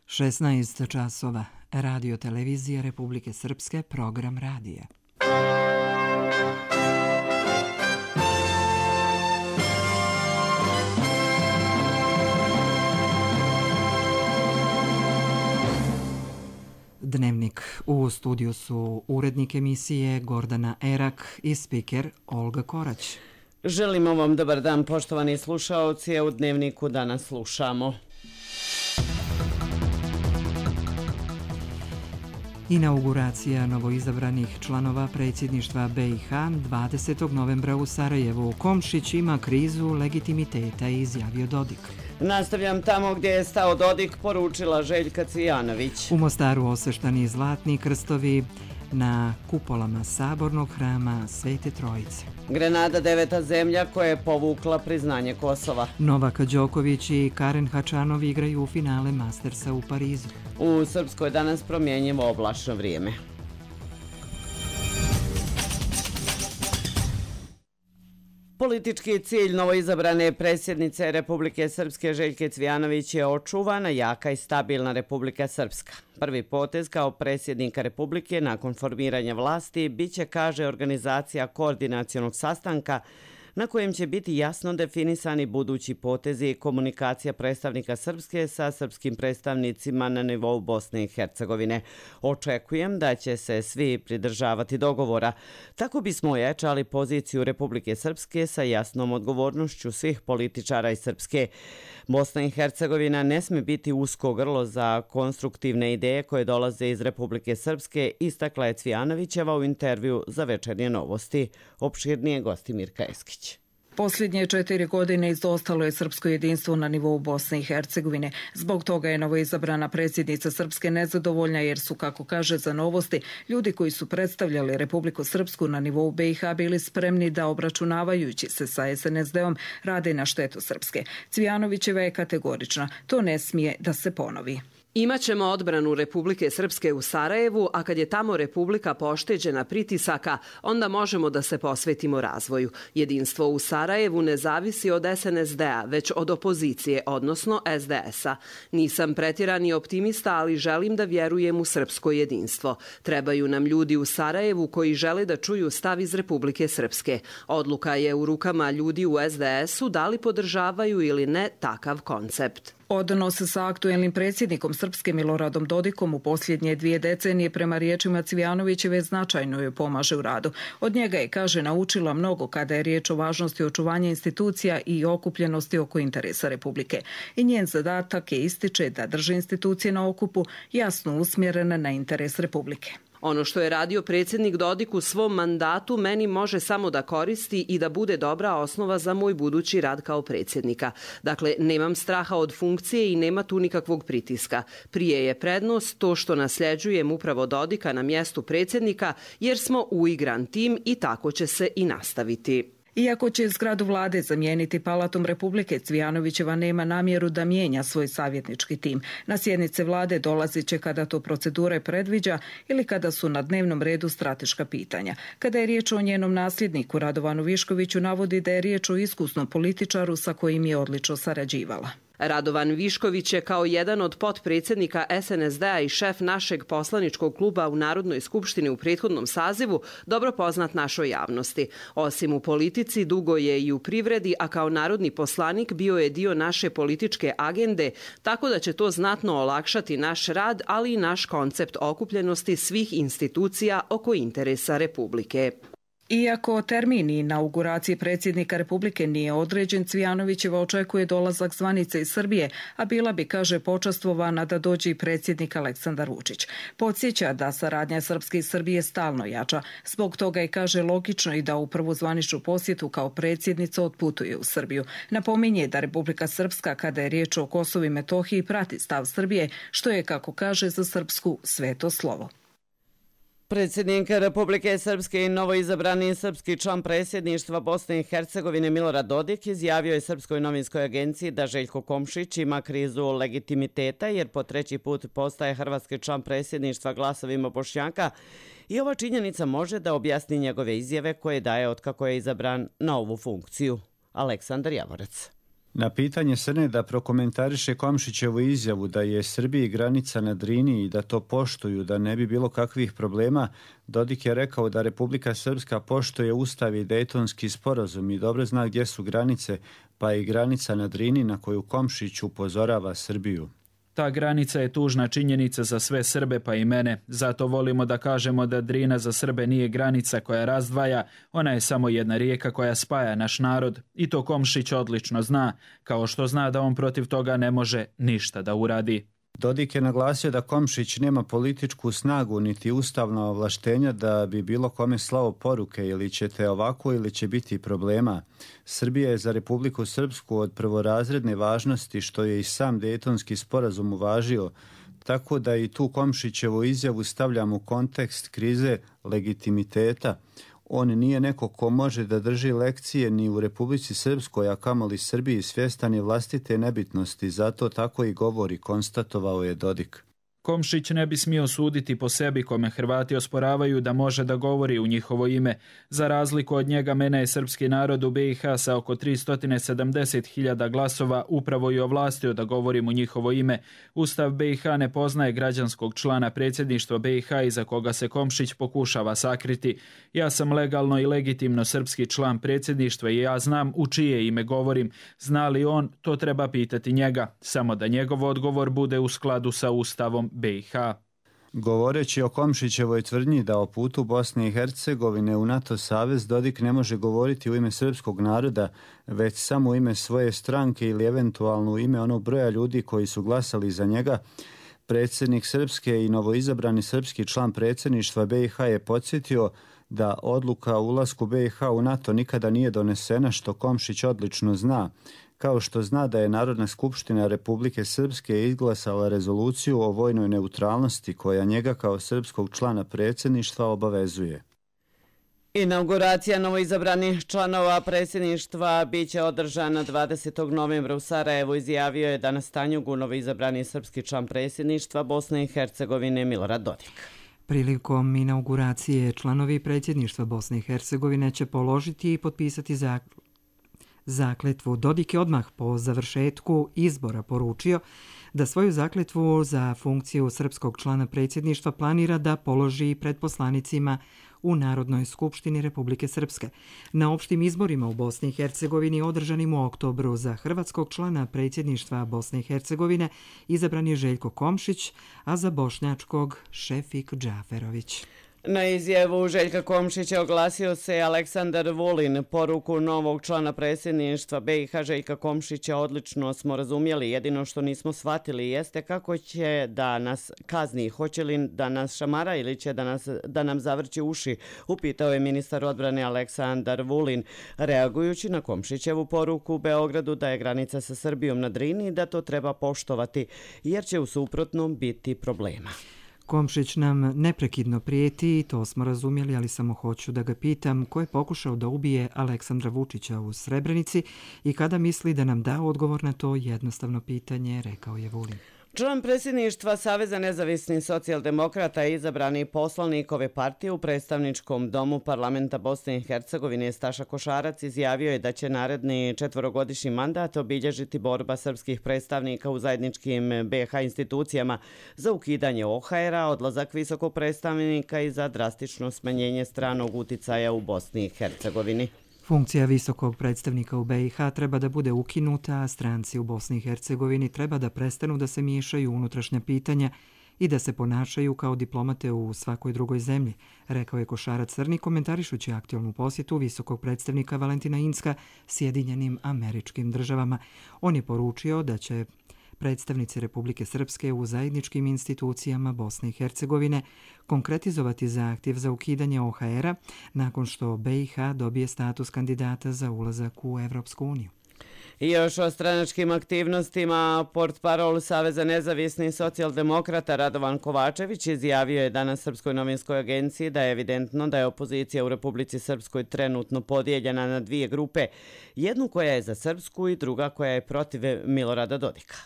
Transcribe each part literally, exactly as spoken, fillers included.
šesnaest časova. Radio televizija Republike Srpske, program radija. Dnevnik. U studiju su urednik emisije Gordana Erak i spiker Olga Korać. Želimo vam dobar dan, poštovani slušaoci, a u Dnevniku danas slušamo. Inauguracija novoizabranih članova predsjedništva B i H dvadesetog novembra u Sarajevu. Komšić ima krizu legitimiteta, izjavio Dodik. Nastavljam tamo gdje je stao Dodik, poručila Željka Cvijanović. U Mostaru osveštani zlatni krstovi na kupolama sabornog hrama Svete Trojice. Grenada deveta zemlja koja je povukla priznanje Kosova. Novak Đoković i Karen Hačanov igraju u finale Mastersa u Parizu. U Srpskoj danas promjenjivo oblačno vrijeme. Politički cilj novoizabrane predsjednice Republike Srpske Željke Cvijanović je očuvana, jaka i stabilna Republika Srpska. Prvi potez kao predsjednika Republike nakon formiranja vlasti biće, kaže, organizacija koordinacionog sastanka na kojem će biti jasno definisani budući potezi i komunikacija predstavnika Srpske sa srpskim predstavnicima na nivou Bosne i Hercegovine. Očekujem da će se svi pridržavati dogovora. Tako bismo ojačali poziciju Republike Srpske sa jasnom odgovornošću svih političara iz Srpske. Bosna i Hercegovina ne sme biti usko grlo za konstruktivne ideje koje dolaze iz Republike Srpske, istakla je Cvijanovićeva u intervju za Večernje novosti. Opširnije gosti Mirka Eskić. Posljednje četiri godine izostalo je srpsko jedinstvo na nivou Bosne i Hercegovine. Zbog toga je novoizabrana predsjednica Srpske nezadovoljna jer su, kako kaže za Novosti, ljudi koji su predstavljali Republiku Srpsku na nivou B i H bili spremni da, obračunavajući se sa S N S D-om, rade na štetu Srpske. Cvijanovićeva je kategorična. To ne smije da se ponovi. Imaćemo odbranu Republike Srpske u Sarajevu, a kad je tamo Republika pošteđena pritisaka, onda možemo da se posvetimo razvoju. Jedinstvo u Sarajevu ne zavisi od S N S D-a, već od opozicije, odnosno S D S-a. Nisam pretjerani optimista, ali želim da vjerujem u srpsko jedinstvo. Trebaju nam ljudi u Sarajevu koji žele da čuju stav iz Republike Srpske. Odluka je u rukama ljudi u S D S-u da li podržavaju ili ne takav koncept. Odnos sa aktuelnim predsjednikom Srpske Miloradom Dodikom u posljednje dvije decenije prema riječima Cvijanovićeve značajno joj pomaže u radu. Od njega je, kaže, naučila mnogo kada je riječ o važnosti očuvanja institucija i okupljenosti oko interesa Republike. I njen zadatak je, ističe, da drži institucije na okupu, jasno usmjerene na interes Republike. Ono što je radio predsjednik Dodik u svom mandatu meni može samo da koristi i da bude dobra osnova za moj budući rad kao predsjednika. Dakle, nemam straha od funkcije i nema tu nikakvog pritiska. Prije je prednost to što nasljeđujem upravo Dodika na mjestu predsjednika jer smo uigran tim i tako će se i nastaviti. Iako će zgradu vlade zamijeniti Palatom Republike, Cvijanovićeva nema namjeru da mijenja svoj savjetnički tim. Na sjednice vlade dolazit će kada to procedure predviđa ili kada su na dnevnom redu strateška pitanja. Kada je riječ o njenom nasljedniku Radovanu Viškoviću, navodi da je riječ o iskusnom političaru sa kojim je odlično sarađivala. Radovan Višković je kao jedan od potpredsjednika S N S D-a i šef našeg poslaničkog kluba u Narodnoj skupštini u prethodnom sazivu dobro poznat našoj javnosti. Osim u politici, dugo je i u privredi, a kao narodni poslanik bio je dio naše političke agende, tako da će to znatno olakšati naš rad, ali i naš koncept okupljenosti svih institucija oko interesa Republike. Iako termin inauguracije predsjednika Republike nije određen, Cvijanovićeva očekuje dolazak zvanice iz Srbije, a bila bi, kaže, počastvovana da dođe i predsjednik Aleksandar Vučić. Podsjeća da saradnja Srpske i Srbije stalno jača. Zbog toga je, kaže, logično i da u prvu zvaničnu posjetu kao predsjednica otputuje u Srbiju. Napominje da Republika Srpska, kada je riječ o Kosovu i Metohiji, prati stav Srbije, što je, kako kaže, za Srpsku sveto slovo. Predsjednik Republike Srpske i novoizabrani srpski član predsjedništva Bosne i Hercegovine Milorad Dodik izjavio je Srpskoj novinskoj agenciji da Željko Komšić ima krizu legitimiteta jer po treći put postaje hrvatski član predsjedništva glasovima Bošnjaka i ova činjenica može da objasni njegove izjave koje daje otkako je izabran na ovu funkciju. Aleksandar Javorac. Na pitanje Srne da prokomentariše Komšićevu izjavu da je Srbiji granica na Drini i da to poštuju, da ne bi bilo kakvih problema, Dodik je rekao da Republika Srpska poštuje Ustav i Dejtonski sporazum i dobro zna gdje su granice, pa i granica na Drini na koju Komšić upozorava Srbiju. Ta granica je tužna činjenica za sve Srbe pa i mene. Zato volimo da kažemo da Drina za Srbe nije granica koja razdvaja, ona je samo jedna rijeka koja spaja naš narod i to Komšić odlično zna, kao što zna da on protiv toga ne može ništa da uradi. Dodik je naglasio da Komšić nema političku snagu niti ustavna ovlaštenja da bi bilo kome slao poruke ili ćete ovako ili će biti problema. Srbija je za Republiku Srpsku od prvorazredne važnosti što je i sam Dejtonski sporazum uvažio, tako da i tu Komšićevu izjavu stavljam u kontekst krize legitimiteta. On nije neko ko može da drži lekcije ni u Republici Srpskoj, a kamoli Srbiji, svjestan je vlastite nebitnosti, zato tako i govori, konstatovao je Dodik. Komšić ne bi smio suditi po sebi kome Hrvati osporavaju da može da govori u njihovo ime. Za razliku od njega, mene je srpski narod u B i H sa oko tristo sedamdeset hiljada glasova upravo i ovlastio da govorim u njihovo ime. Ustav B i H ne poznaje građanskog člana predsjedništva B i H iza koga se Komšić pokušava sakriti. Ja sam legalno i legitimno srpski član predsjedništva i ja znam u čije ime govorim. Zna li on, to treba pitati njega. Samo da njegov odgovor bude u skladu sa Ustavom B i H. Govoreći o Komšićevoj tvrdnji da o putu Bosne i Hercegovine u NATO savez, Dodik ne može govoriti u ime srpskog naroda, već samo u ime svoje stranke ili eventualno u ime onog broja ljudi koji su glasali za njega. Predsjednik Srpske i novoizabrani srpski član predsjedništva B i H je podsjetio da odluka o ulasku B i H u NATO nikada nije donesena, što Komšić odlično zna, kao što zna da je Narodna skupština Republike Srpske izglasala rezoluciju o vojnoj neutralnosti koja njega kao srpskog člana predsjedništva obavezuje. Inauguracija novoizabranih članova predsjedništva biće održana dvadesetog novembra u Sarajevu, izjavio je danas Tanjugu novoizabrani srpski član predsjedništva Bosne i Hercegovine Milorad Dodik. Prilikom inauguracije članovi predsjedništva Bosne i Hercegovine će položiti i potpisati zakletvu. Dodik je odmah po završetku izbora poručio da svoju zakletvu za funkciju srpskog člana predsjedništva planira da položi pred poslanicima u Narodnoj skupštini Republike Srpske. Na opštim izborima u Bosni i Hercegovini održanim u oktobru za hrvatskog člana predsjedništva Bosne i Hercegovine izabran je Željko Komšić, a za bošnjačkog Šefik Džaferović. Na izjavu Željka Komšića oglasio se Aleksandar Vulin. Poruku novog člana predsjedništva B i H Željka Komšića odlično smo razumjeli. Jedino što nismo shvatili jeste kako će da nas kazni. Hoće li da nas šamara ili će da, nas, da nam zavrći uši, upitao je ministar odbrane Aleksandar Vulin, reagujući na Komšićevu poruku u Beogradu da je granica sa Srbijom na Drini i da to treba poštovati, jer će u suprotnom biti problema. Komšić nam neprekidno prijeti i to smo razumjeli, ali samo hoću da ga pitam ko je pokušao da ubije Aleksandra Vučića u Srebrenici i kada misli da nam da odgovor na to jednostavno pitanje, rekao je Vulin. Član predsjedništva Saveza nezavisnih socijaldemokrata i izabrani poslanik ove partije u predstavničkom domu parlamenta Bosne i Hercegovine Staša Košarac izjavio je da će naredni četvorogodišnji mandat obilježiti borba srpskih predstavnika u zajedničkim B H institucijama za ukidanje O H R-a, odlazak visokog predstavnika i za drastično smanjenje stranog uticaja u Bosni i Hercegovini. Funkcija visokog predstavnika u B i H treba da bude ukinuta, a stranci u Bosni i Hercegovini treba da prestanu da se miješaju u unutrašnja pitanja i da se ponašaju kao diplomate u svakoj drugoj zemlji, rekao je Košarac Crni komentarišući aktualnu posjetu visokog predstavnika Valentina Incka Sjedinjenim Američkim Državama. On je poručio da će predstavnici Republike Srpske u zajedničkim institucijama Bosne i Hercegovine konkretizovati zahtjev za ukidanje O H R-a nakon što B i H dobije status kandidata za ulazak u Evropsku uniju. I još o stranačkim aktivnostima, portparol Saveza nezavisnih socijaldemokrata Radovan Kovačević izjavio je danas Srpskoj novinskoj agenciji da je evidentno da je opozicija u Republici Srpskoj trenutno podijeljena na dvije grupe, jednu koja je za Srpsku i druga koja je protiv Milorada Dodika.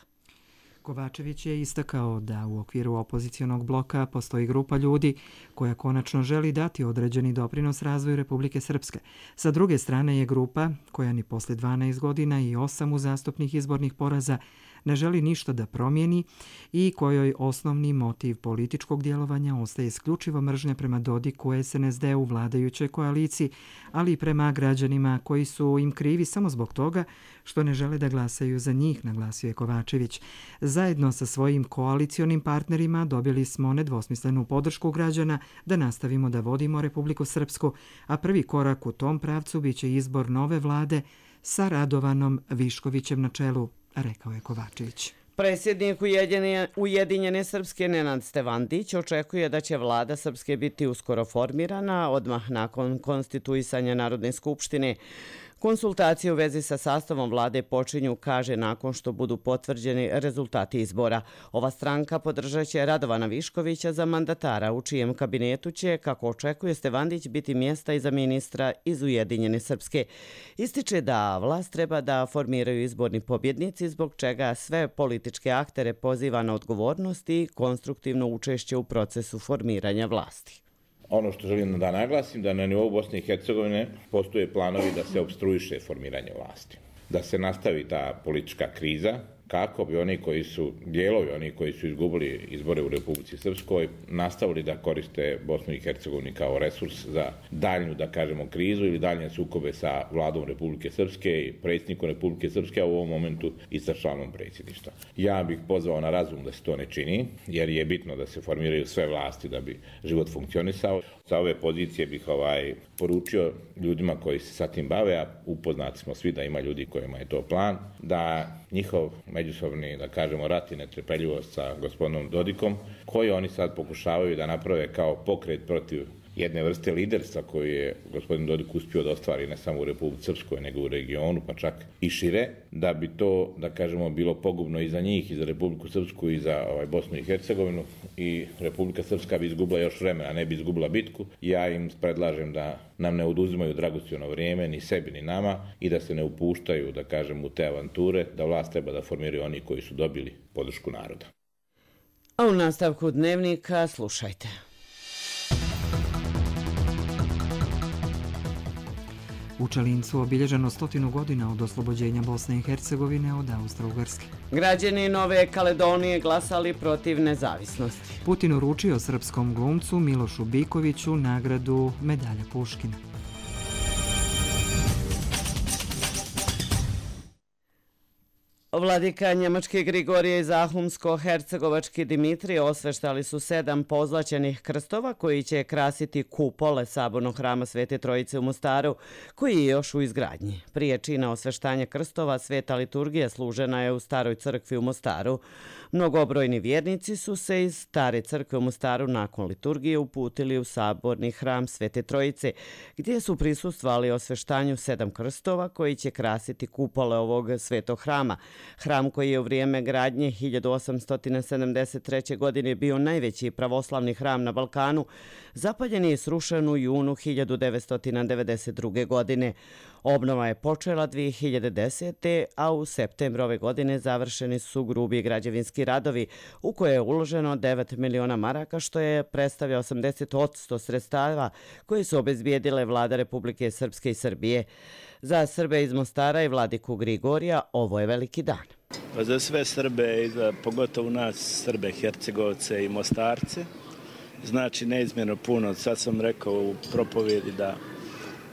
Kovačević je istakao da u okviru opozicionog bloka postoji grupa ljudi koja konačno želi dati određeni doprinos razvoju Republike Srpske. Sa druge strane je grupa koja ni posle dvanaest godina i osam uzastopnih izbornih poraza ne želi ništa da promijeni i kojoj osnovni motiv političkog djelovanja ostaje isključivo mržnja prema Dodiku, es en es de u vladajućoj koaliciji, ali i prema građanima koji su im krivi samo zbog toga što ne žele da glasaju za njih, naglasio je Kovačević. Zajedno sa svojim koalicionim partnerima dobili smo nedvosmislenu podršku građana da nastavimo da vodimo Republiku Srpsku, a prvi korak u tom pravcu biće izbor nove vlade sa Radovanom Viškovićem na čelu, rekao je Kovačević. Predsjednik Ujedinjene Srpske Nenad Stevandić očekuje da će vlada Srpske biti uskoro formirana odmah nakon konstituisanja Narodne skupštine. Konsultacije u vezi sa sastavom vlade počinju, kaže, nakon što budu potvrđeni rezultati izbora. Ova stranka podržat će Radovana Viškovića za mandatara, u čijem kabinetu će, kako očekuje Stevandić, biti mjesta i za ministra iz Ujedinjene Srpske. Ističe da vlast treba da formiraju izborni pobjednici, zbog čega sve političke aktere poziva na odgovornost i konstruktivno učešće u procesu formiranja vlasti. Ono što želim da naglasim, da na nivou Bosne i Hercegovine postoje planovi da se opstruiše formiranje vlasti. Da se nastavi ta politička kriza, kako bi oni koji su, dijelovi oni koji su izgubili izbore u Republici Srpskoj, nastavili da koriste Bosnu i Hercegovinu kao resurs za daljnju, da kažemo, krizu ili daljnje sukobe sa vladom Republike Srpske i predsjednikom Republike Srpske, a u ovom momentu i sa članom predsjedništva. Ja bih pozvao na razum da se to ne čini, jer je bitno da se formiraju sve vlasti da bi život funkcionisao. Sa ove pozicije bih ovaj, poručio ljudima koji se sa tim bave, a upoznati smo svi da ima ljudi kojima je to plan, da njihov međusobni, da kažemo, rat i netrpeljivost sa gospodinom Dodikom, koji oni sad pokušavaju da naprave kao pokret protiv jedne vrste liderstva koju je gospodin Dodik uspio da ostvari ne samo u Republici Srpskoj, nego u regionu, pa čak i šire, da bi to, da kažemo, bilo pogubno i za njih, i za Republiku Srpsku, i za ovaj, Bosnu i Hercegovinu, i Republika Srpska bi izgubila još vremena, ne bi izgubila bitku. Ja im predlažem da nam ne oduzimaju dragocjeno vrijeme, ni sebi, ni nama, i da se ne upuštaju, da kažem, u te avanture, da vlast treba da formiraju oni koji su dobili podršku naroda. A u nastavku dnevnika slušajte. U Čalincu obilježeno stotinu godina od oslobođenja Bosne i Hercegovine od Austro-Ugarske. Građani Nove Kaledonije glasali protiv nezavisnosti. Putin uručio srpskom glumcu Milošu Bikoviću nagradu Medalja Puškina. Vladika Njemački Grigorije i Zahumsko-Hercegovački Dimitrije osveštali su sedam pozlaćenih krstova koji će krasiti kupole sabornog hrama Svete Trojice u Mostaru, koji je još u izgradnji. Prije čina osveštanja krstova sveta liturgija služena je u Staroj crkvi u Mostaru. Mnogobrojni vjernici su se iz Stare crkve u Mostaru nakon liturgije uputili u saborni hram Svete Trojice, gdje su prisustvovali osveštanju sedam krstova koji će krasiti kupole ovog svetog hrama. Hram koji je u vrijeme gradnje hiljadu osamsto sedamdeset treće. godine bio najveći pravoslavni hram na Balkanu, zapaljen je i srušen u junu hiljadu devetsto devedeset druge. godine. Obnova je počela dvije hiljade desete. a u septembru ove godine završeni su grubi građevinski radovi u koje je uloženo devet miliona maraka, što je predstavlja osamdeset posto sredstava koje su obezbijedile vlada Republike Srpske i Srbije. Za Srbe iz Mostara i vladiku Grigorija ovo je veliki dan. Pa za sve Srbe i za pogotovo nas Srbe, Hercegovce i Mostarce znači neizmjerno puno. Sad sam rekao u propovjedi da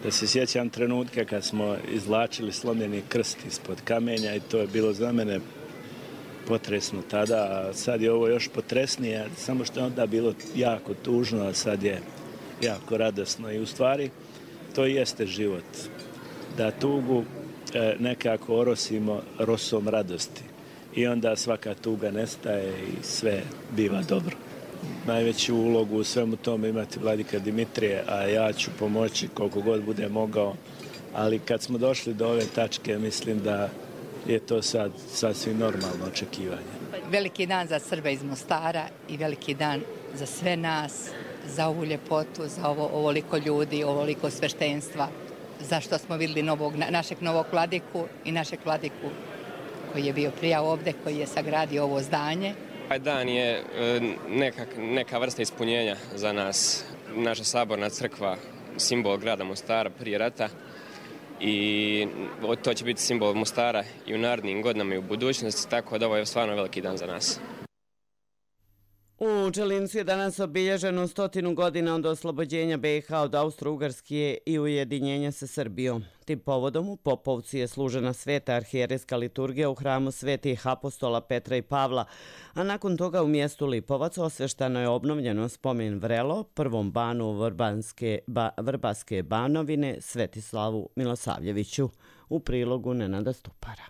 da se sjećam trenutka kad smo izvlačili slomljeni krst ispod kamenja i to je bilo za mene potresno tada, a sad je ovo još potresnije, samo što je onda bilo jako tužno, a sad je jako radosno i u stvari to jeste život. Da tugu nekako orosimo rosom radosti i onda svaka tuga nestaje i sve biva dobro. Najveću ulogu u svemu tome imati vladika Dimitrije, a ja ću pomoći koliko god bude mogao. Ali kad smo došli do ove tačke, mislim da je to sad sasvim normalno očekivanje. Veliki dan za Srbe iz Mostara i veliki dan za sve nas, za ovu ljepotu, za ovo, ovoliko ljudi, ovoliko sveštenstva, zašto smo vidjeli novog, našeg novog vladiku i našeg vladiku koji je bio prija ovde, koji je sagradio ovo zdanje. Ovaj dan je nekak, neka vrsta ispunjenja za nas. Naša saborna crkva, simbol grada Mostara prije rata, i to će biti simbol Mostara i u narednim godinama i u budućnosti, tako da ovo je stvarno veliki dan za nas. U Čelincu je danas obilježeno stotinu godina od oslobođenja B i H od Austro-Ugarske i ujedinjenja sa Srbijom. Tim povodom u Popovci je služena sveta arhijerejska liturgija u hramu svetih apostola Petra i Pavla, a nakon toga u mjestu Lipovac osveštano je obnovljeno spomen Vrelo, prvom banu Vrbanske, ba, Vrbaske banovine Svetislavu Milosavljeviću, u prilogu Nenada Stupara.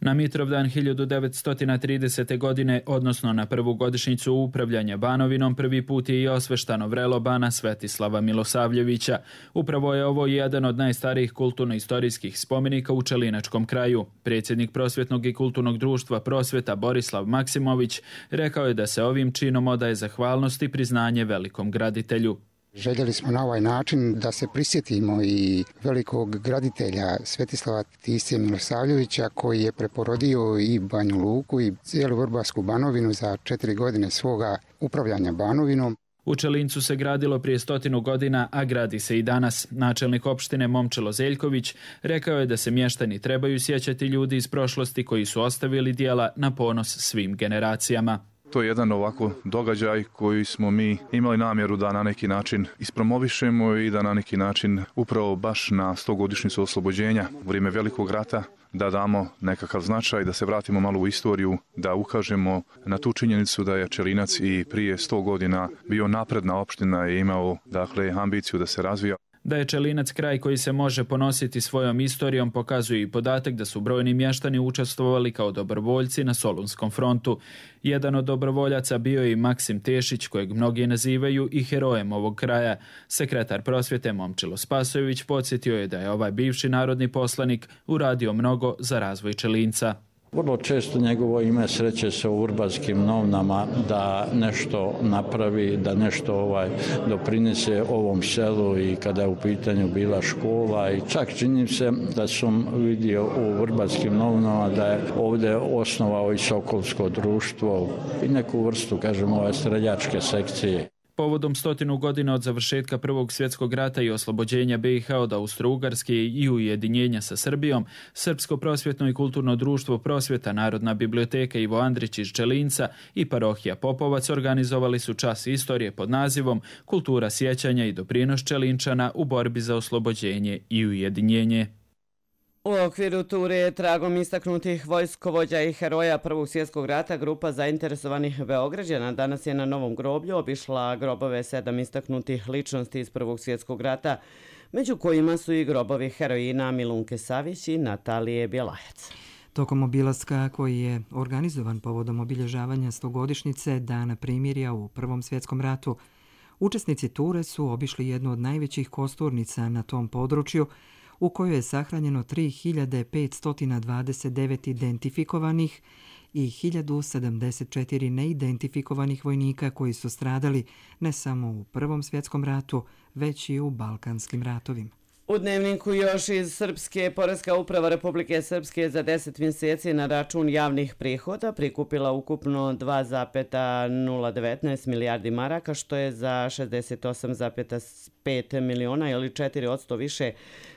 Na Mitrovdan hiljadu devetsto tridesete. godine, odnosno na prvu godišnjicu upravljanja Banovinom, prvi put je i osveštano vrelo bana Svetislava Milosavljevića. Upravo je ovo jedan od najstarijih kulturno-istorijskih spomenika u Čelinačkom kraju. Predsjednik Prosvjetnog i kulturnog društva Prosvjeta Borislav Maksimović rekao je da se ovim činom odaje zahvalnost i priznanje velikom graditelju. Željeli smo na ovaj način da se prisjetimo i velikog graditelja Svetislava Tisije Milosavljevića, koji je preporodio i Banju Luku i cijelu Vrbasku banovinu za četiri godine svoga upravljanja Banovinom. U Čelincu se gradilo prije stotinu godina, a gradi se i danas. Načelnik opštine Momčilo Zeljković rekao je da se mještani trebaju sjećati ljudi iz prošlosti koji su ostavili djela na ponos svim generacijama. To je jedan ovako događaj koji smo mi imali namjeru da na neki način ispromovišemo i da na neki način upravo baš na stogodišnjicu oslobođenja u vrijeme Velikog rata da damo nekakav značaj, da se vratimo malo u istoriju, da ukažemo na tu činjenicu da je Čelinac i prije sto godina bio napredna opština i imao dakle ambiciju da se razvija. Da je Čelinac kraj koji se može ponositi svojom istorijom pokazuje i podatak da su brojni mještani učestvovali kao dobrovoljci na Solunskom frontu. Jedan od dobrovoljaca bio je i Maksim Tešić, kojeg mnogi nazivaju i herojem ovog kraja. Sekretar prosvjete Momčilo Spasojević podsjetio je da je ovaj bivši narodni poslanik uradio mnogo za razvoj Čelinca. Vrlo često njegovo ime sreće se u Vrbanskim novinama da nešto napravi, da nešto ovaj doprinese ovom selu i kada je u pitanju bila škola i čak čini se da sam vidio u Vrbanskim novinama da je ovdje osnovao i Sokolsko društvo i neku vrstu, kažemo, ove streljačke sekcije. Povodom stotinu godina od završetka Prvog svjetskog rata i oslobođenja B i H od Austro-Ugarske i ujedinjenja sa Srbijom, Srpsko prosvjetno i kulturno društvo Prosvjeta, Narodna biblioteka Ivo Andrić iz Čelinca i parohija Popovac organizovali su čas istorije pod nazivom Kultura sjećanja i doprinos Čelinčana u borbi za oslobođenje i ujedinjenje. U okviru ture tragom istaknutih vojskovođa i heroja Prvog svjetskog rata grupa zainteresovanih Beograđana danas je na Novom groblju obišla grobove sedam istaknutih ličnosti iz Prvog svjetskog rata, među kojima su i grobovi heroina Milunke Savić i Natalije Bjelajac. Tokom obilaska koji je organizovan povodom obilježavanja stogodišnjice Dana primirja u Prvom svjetskom ratu, učesnici ture su obišli jednu od najvećih kosturnica na tom području, u kojoj je sahranjeno tri hiljade petsto dvadeset devet identifikovanih i hiljadu sedamdeset četiri neidentifikovanih vojnika koji su stradali ne samo u Prvom svjetskom ratu, već i u Balkanskim ratovima. U dnevniku još iz Srpske, Poreska uprava Republike Srpske za deset mjeseci na račun javnih prihoda prikupila ukupno dva zarez nula devetnaest milijardi maraka, što je za šezdeset osam zarez pet miliona ili četiri posto više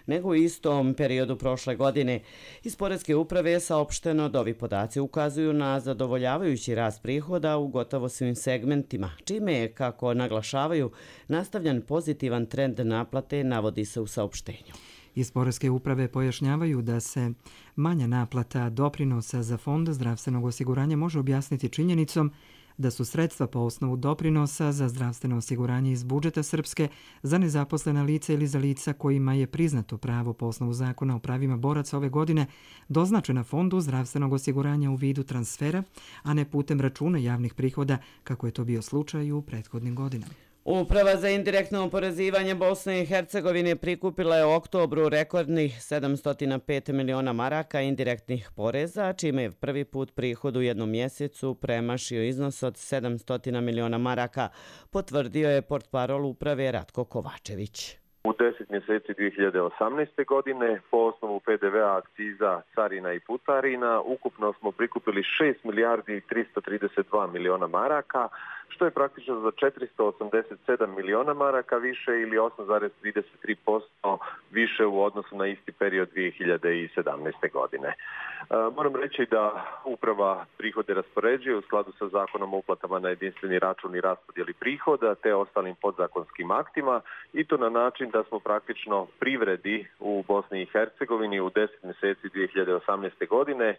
nego u istom periodu prošle godine. Iz Poreske uprave je saopšteno da ovi podaci ukazuju na zadovoljavajući rast prihoda u gotovo svim segmentima, čime je, kako naglašavaju, nastavljan pozitivan trend naplate, navodi se u saopštenju. Iz Poreske uprave pojašnjavaju da se manja naplata doprinosa za Fond zdravstvenog osiguranja može objasniti činjenicom da su sredstva po osnovu doprinosa za zdravstveno osiguranje iz budžeta Srpske za nezaposlena lica ili za lica kojima je priznato pravo po osnovu zakona o pravima boraca ove godine doznačena Fondu zdravstvenog osiguranja u vidu transfera, a ne putem računa javnih prihoda, kako je to bio slučaj u prethodnim godinama. Uprava za indirektno oporezivanje Bosne i Hercegovine prikupila je u oktobru rekordnih sedamsto pet miliona maraka indirektnih poreza, čime je prvi put prihod u jednom mjesecu premašio iznos od sedamsto miliona maraka, potvrdio je portparol uprave Ratko Kovačević. U deset mjeseci dvije hiljade osamnaeste. godine po osnovu P D V-a, akciza, carina i putarina ukupno smo prikupili šest milijardi tristo trideset dva miliona maraka, što je praktično za četiristo osamdeset sedam miliona maraka više ili osam zarez trideset tri posto više u odnosu na isti period dvije hiljade sedamnaeste. godine. E, moram reći da uprava prihode raspoređuje u skladu sa zakonom o uplatama na jedinstveni račun i raspodjeli prihoda te ostalim podzakonskim aktima i to na način da smo praktično privredi u Bosni i Hercegovini u deset mjeseci dvije hiljade osamnaeste. godine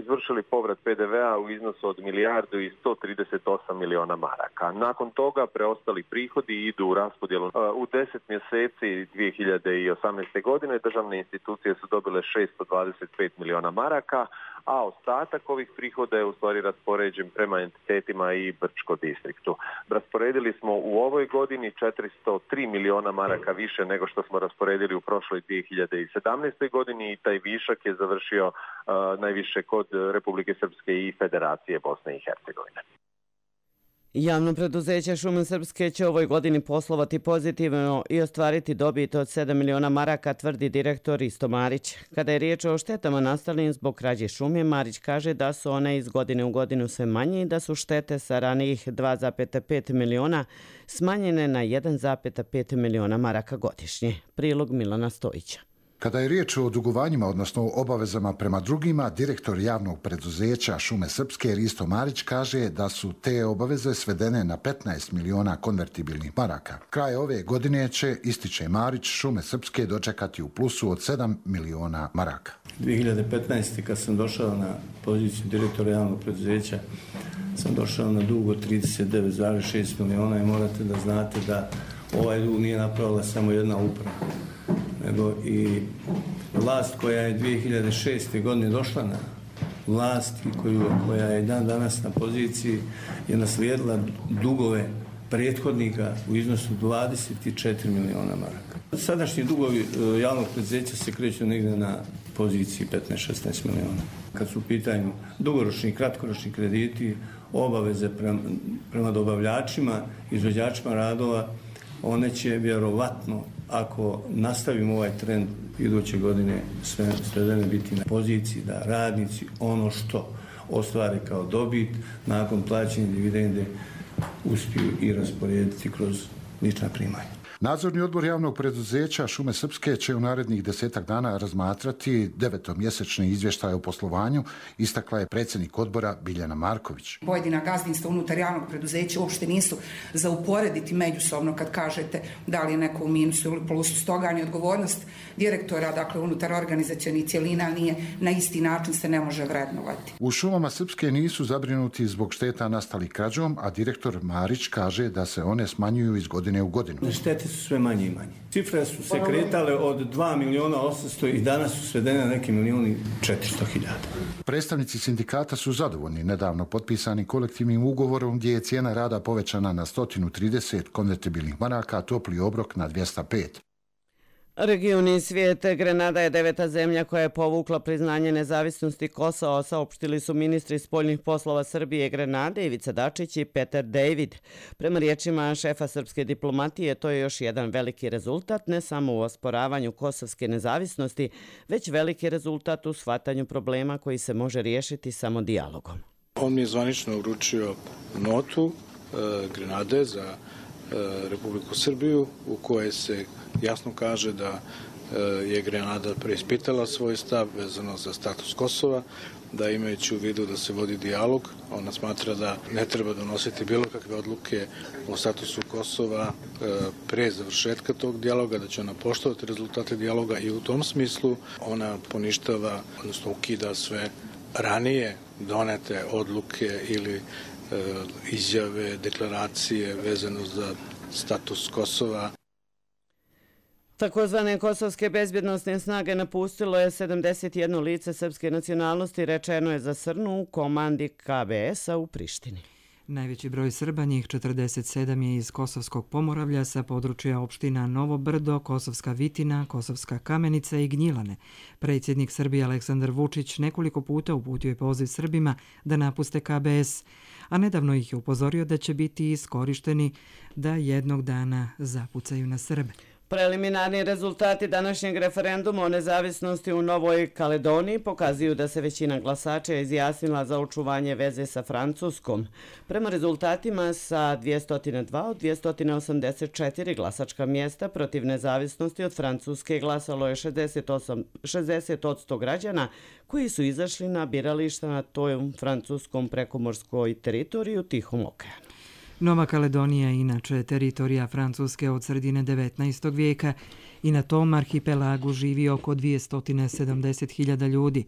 izvršili povrat P D V-a u iznosu od milijardu i sto trideset osam miliona maraka. Nakon toga preostali prihodi idu u raspodjelu. U deset mjeseci dvije hiljade osamnaeste. godine državne institucije su dobile šesto dvadeset pet miliona maraka, a ostatak ovih prihoda je u stvari raspoređen prema entitetima i Brčko distriktu. Rasporedili smo u ovoj godini četiristo tri miliona maraka više nego što smo rasporedili u prošloj dvije hiljade sedamnaestoj. godini i taj višak je završio uh, najviše kod Republike Srpske i Federacije Bosne i Hercegovine. Javno preduzeće Šume Srpske će ovoj godini poslovati pozitivno i ostvariti dobit od sedam miliona maraka, tvrdi direktor Risto Marić. Kada je riječ o štetama nastalim zbog krađe šume, Marić kaže da su one iz godine u godinu sve manje i da su štete sa ranijih dva zarez pet miliona smanjene na jedan zarez pet miliona maraka godišnje. Prilog Milana Stojića. Kada je riječ o dugovanjima, odnosno obavezama prema drugima, direktor javnog preduzeća Šume Srpske Risto Marić kaže da su te obaveze svedene na petnaest miliona konvertibilnih maraka. Kraj ove godine će, ističe Marić, Šume Srpske dočekati u plusu od sedam miliona maraka. dvije hiljade petnaeste. kad sam došao na poziciju direktora javnog preduzeća, sam došao na dug od trideset devet zarez šest miliona i morate da znate da ovaj dug nije napravila samo jedna uprava, nego i vlast koja je dvije hiljade šeste. godine došla na vlast i koju, koja je dan danas na poziciji je naslijedila dugove prethodnika u iznosu dvadeset četiri miliona maraka. Sadašnji dugovi javnog preduzeća se kreću negdje na poziciji petnaest šesnaest miliona. Kad su u pitanju dugoročni i kratkoročni krediti, obaveze prema, prema dobavljačima, izvođačima radova, one će vjerovatno, ako nastavimo ovaj trend iduće godine, sve svedene biti na poziciji da radnici ono što ostvare kao dobit nakon plaćanja dividende uspiju i rasporediti kroz lična primanja. Nadzorni odbor javnog preduzeća Šume Srpske će u narednih desetak dana razmatrati devetomjesečni izvještaj o poslovanju, istakla je predsjednik odbora Biljana Marković. Pojedina gazdinstva unutar javnog preduzeća uopšte nisu za uporediti međusobno kad kažete da li je neko u minusu ili plusu. Stoga ni odgovornost direktora, dakle unutar organizacionih cjelina, nije na isti način se ne može vrednovati. U Šumama Srpske nisu zabrinuti zbog šteta nastalih krađom, a direktor Marić kaže da se one smanjuju iz godine u godinu. Štete su sve manje i manje. Cifre su se kretale od dva miliona osamsto i danas su svedene na neki milijuni četiristo hiljada. Predstavnici sindikata su zadovoljni nedavno potpisanim kolektivnim ugovorom gdje je cijena rada povećana na sto trideset konvertibilnih maraka, a topli obrok na dvjesto pet. Regioni svijet, Grenada je deveta zemlja koja je povukla priznanje nezavisnosti Kosova, saopštili su ministri spoljnih poslova Srbije i Grenade Ivica Dačić i Peter David. Prema riječima šefa srpske diplomatije, to je još jedan veliki rezultat, ne samo u osporavanju kosovske nezavisnosti, već veliki rezultat u shvatanju problema koji se može riješiti samo dijalogom. On mi je zvanično uručio notu e, Grenade za e, Republiku Srbiju u kojoj se jasno kaže da je Grenada preispitala svoj stav vezano za status Kosova, da imajući u vidu da se vodi dijalog, ona smatra da ne treba donositi bilo kakve odluke o statusu Kosova pre završetka tog dijaloga, da će ona poštovati rezultate dijaloga i u tom smislu ona poništava, odnosno ukida sve ranije donete odluke ili izjave, deklaracije vezano za status Kosova. Takozvane kosovske bezbjednostne snage napustilo je sedamdeset jedno lice srpske nacionalnosti, rečeno je za Srnu u komandi K B S-a u Prištini. Najveći broj Srba, njih četrdeset sedam, je iz Kosovskog Pomoravlja sa područja opština Novo Brdo, Kosovska Vitina, Kosovska Kamenica i Gnjilane. Predsjednik Srbije Aleksandar Vučić nekoliko puta uputio je poziv Srbima da napuste K B S, a nedavno ih je upozorio da će biti iskorišteni da jednog dana zapucaju na Srbe. Preliminarni rezultati današnjeg referenduma o nezavisnosti u Novoj Kaledoniji pokazuju da se većina glasača izjasnila za očuvanje veze sa Francuskom. Prema rezultatima sa dvjesto dva od dvjesto osamdeset četiri glasačka mjesta protiv nezavisnosti od Francuske glasalo je šezdeset osam, šezdeset posto građana koji su izašli na birališta na toj francuskom prekomorskoj teritoriji u Tihom okeanu. Nova Kaledonija je inače teritorija Francuske od sredine devetnaestog vijeka i na tom arhipelagu živi oko dvjesto sedamdeset hiljada ljudi.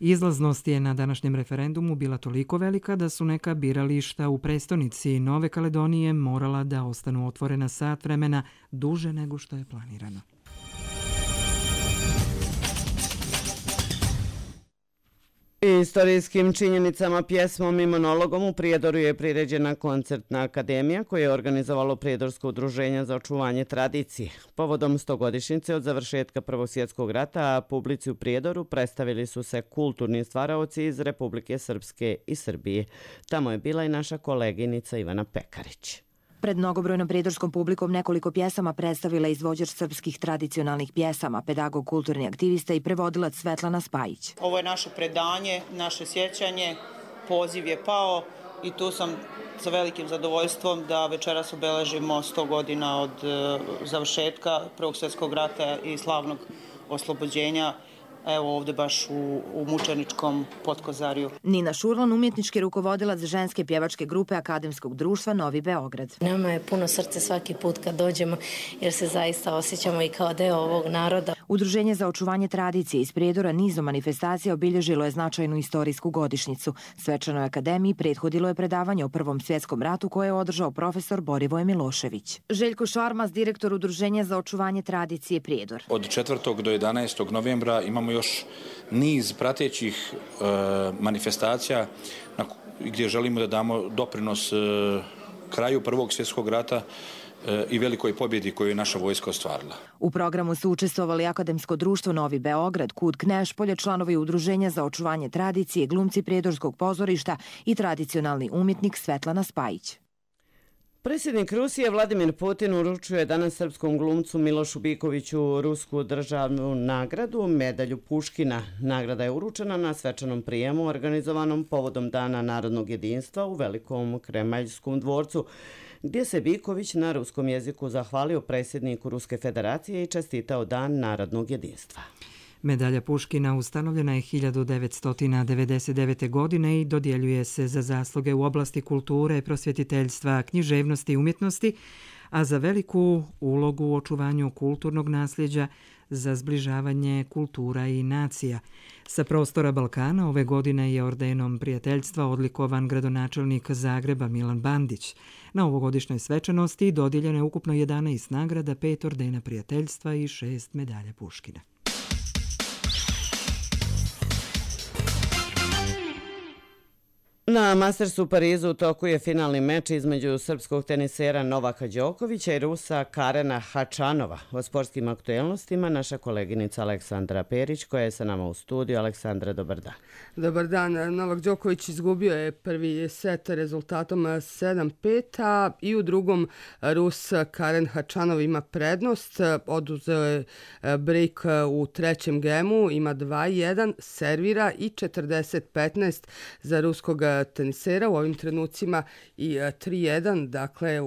Izlaznost je na današnjem referendumu bila toliko velika da su neka birališta u prestonici Nove Kaledonije morala da ostanu otvorena sat vremena duže nego što je planirano. Istorijskim činjenicama, pjesmom i monologom u Prijedoru je priređena koncertna akademija koje je organizovalo Prijedorsko udruženje za očuvanje tradicije. Povodom stogodišnjice od završetka Prvog svjetskog rata, a publici u Prijedoru predstavili su se kulturni stvaraoci iz Republike Srpske i Srbije. Tamo je bila i naša koleginica Ivana Pekarić. Pred mnogobrojnom prijedorskom publikom nekoliko pjesama predstavila izvođač srpskih tradicionalnih pjesama, pedagog, kulturni aktivista i prevodilac Svetlana Spajić. Ovo je naše predanje, naše sjećanje, poziv je pao i tu sam sa velikim zadovoljstvom da večeras obeležimo sto godina od završetka Prvog svjetskog rata i slavnog oslobođenja. Evo ovdje baš u, u Mučeničkom Potkozarju. Nina Šurlan, umjetnički rukovodilac ženske pjevačke grupe Akademskog društva Novi Beograd. Nama je puno srce svaki put kad dođemo jer se zaista osjećamo i kao deo ovog naroda. Udruženje za očuvanje tradicije iz Prijedora nizom manifestacija obilježilo je značajnu istorijsku godišnjicu. Svečanoj akademiji prethodilo je predavanje o Prvom svjetskom ratu koje je održao profesor Borivoje Milošević. Željko Šarmas, direktor Udruženja za očuvanje tradicije Prijedor. Od četvrtog do jedanaestog novembra imamo još niz pratećih e, manifestacija na, gdje želimo da damo doprinos e, kraju Prvog svjetskog rata e, i velikoj pobjedi koju je naša vojska ostvarila. U programu su učestvovali Akademsko društvo Novi Beograd, Kud Knešpolje, članovi Udruženja za očuvanje tradicije, glumci Prijedorskog pozorišta i tradicionalni umjetnik Svetlana Spajić. Predsjednik Rusije Vladimir Putin uručuje danas srpskom glumcu Milošu Bikoviću rusku državnu nagradu, medalju Puškina. Nagrada je uručena na svečanom prijemu organizovanom povodom Dana narodnog jedinstva u Velikom Kremaljskom dvorcu, gdje se Biković na ruskom jeziku zahvalio predsjedniku Ruske federacije i čestitao Dan narodnog jedinstva. Medalja Puškina ustanovljena je hiljadu devetsto devedeset devete. godine i dodjeljuje se za zasluge u oblasti kulture, prosvjetiteljstva, književnosti i umjetnosti, a za veliku ulogu u očuvanju kulturnog nasljeđa, za zbližavanje kultura i nacija. Sa prostora Balkana ove godine je ordenom prijateljstva odlikovan gradonačelnik Zagreba Milan Bandić. Na ovogodišnjoj svečanosti dodijeljeno je ukupno jedanaest nagrada, pet ordena prijateljstva i šest medalja Puškina. Na Mastersu u Parizu u toku je finalni meč između srpskog tenisera Novaka Đokovića i Rusa Karena Hačanova. O sportskim aktuelnostima naša koleginica Aleksandra Perić koja je sa nama u studiju. Aleksandra, dobar dan. Dobar dan. Novak Đoković izgubio je prvi set rezultatom sedam pet, a i u drugom Rus Karen Hačanov ima prednost. Oduzeo je break u trećem gemu, ima dva jedan, servira i četrdeset petnaest za ruskog tenisera u ovim trenucima i tri jedan, dakle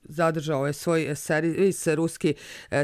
zadržao je svoj servis ruski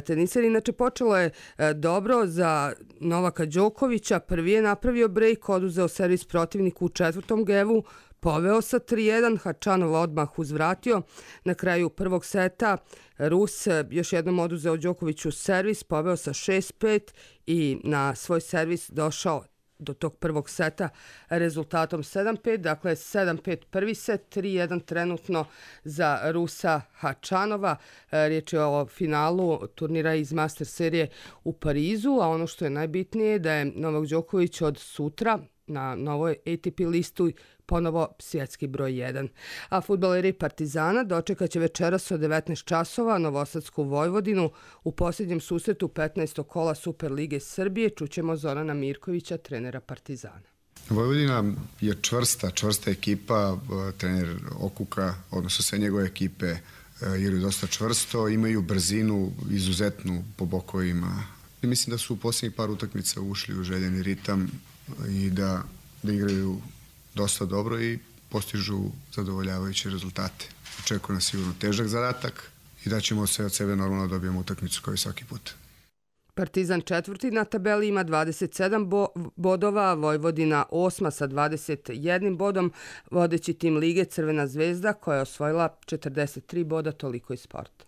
teniser. Inače počelo je dobro za Novaka Đokovića, prvi je napravio break, oduzeo servis protivniku u četvrtom gevu, poveo sa tri jedan, Hačanov odmah uzvratio. Na kraju prvog seta Rus još jednom oduzeo Đokoviću servis, poveo sa šest pet i na svoj servis došao do tog prvog seta rezultatom sedam pet, dakle sedam pet prvi set, tri jedan trenutno za Rusa Hačanova. Riječ je o finalu turnira iz Master serije u Parizu, a ono što je najbitnije je da je Novak Đoković od sutra na novoj A T P listu ponovo svjetski broj jedan. A fudbaleri Partizana dočekat će večeras od devetnaest časova Novosadsku Vojvodinu u posljednjem susretu petnaestog kola Superlige Srbije. Čućemo Zorana Mirkovića, trenera Partizana. Vojvodina je čvrsta, čvrsta ekipa. Trener Okuka, odnosno sve njegove ekipe, igraju dosta čvrsto, imaju brzinu izuzetnu po bokovima. I mislim da su u posljednjih par utakmica ušli u željeni ritam i da, da igraju dosta dobro i postižu zadovoljavajuće rezultate. Očekuje nas sigurno težak zadatak i da ćemo sve od sebe normalno dobijemo utakmicu kao i svaki put. Partizan četvrti na tabeli ima dvadeset sedam bo bodova, Vojvodina osma sa dvadeset jednim bodom, vodeći tim lige Crvena zvezda koja je osvojila četrdeset tri boda, toliko iz sporta.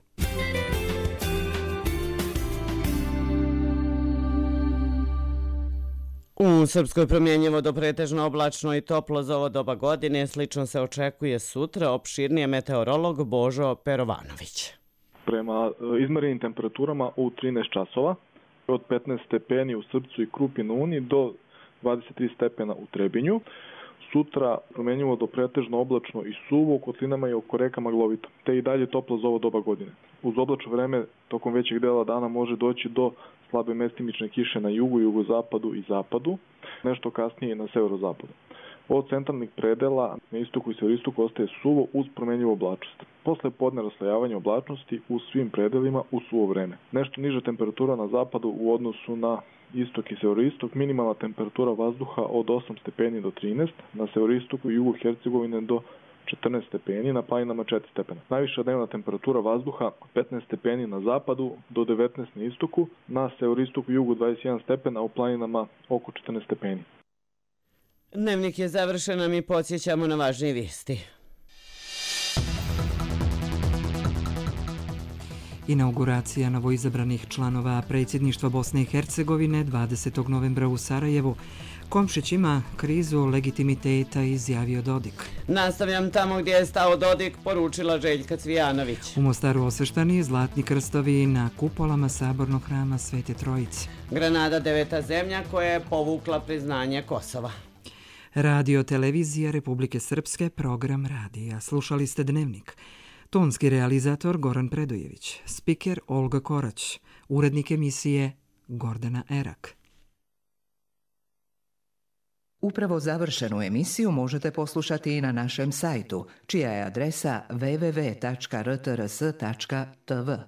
U Srpskoj promjenjivo do pretežno oblačno i toplo za ovo doba godine, slično se očekuje sutra, opširnije meteorolog Božo Perovanović. Prema izmerenim temperaturama u trinaest časova, od petnaest stepeni u Srpcu i Krupi na Uni do dvadeset tri stepena u Trebinju. Sutra promjenjivo do pretežno oblačno i suvo, u kotlinama i oko reka maglovito, te i dalje toplo za ovo doba godine. Uz oblačno vreme tokom većeg dela dana može doći do slabe mestimične kiše na jugu, jugozapadu i zapadu, nešto kasnije na severozapadu. Od centralnih predela na istoku i severistoku ostaje suvo uz promjenjivu oblačnost. Posle podne raslojavanja oblačnosti u svim predelima u suvo vreme. Nešto niža temperatura na zapadu u odnosu na istok i severoistok, minimalna temperatura vazduha od osam stepeni do trinaest, na severistoku i jugu Hercegovine do četrnaest stepeni, na planinama četiri stepena. Najviša dnevna temperatura vazduha petnaest stepeni na zapadu do devetnaest na istoku, na severistoku i jugu dvadeset jedan stepena, a u planinama oko četrnaest stepeni. Dnevnik je završen, a mi podsjećamo na važnije vijesti. Inauguracija novoizabranih članova predsjedništva Bosne i Hercegovine dvadesetog novembra u Sarajevu. Komšić ima krizu legitimiteta, izjavio Dodik. Nastavljam tamo gdje je stao Dodik, poručila Željka Cvijanović. U Mostaru osveštani zlatni krstovi na kupolama sabornog hrama Svete Trojice. Granada deveta zemlja koja je povukla priznanje Kosova. Radio televizija Republike Srpske, program radija. Slušali ste Dnevnik. Tonski realizator Goran Predojević, spiker Olga Korać, urednik emisije Gordana Erak. Upravo završenu emisiju možete poslušati i na našem sajtu, čija je adresa w w w tačka r t r s tačka t v.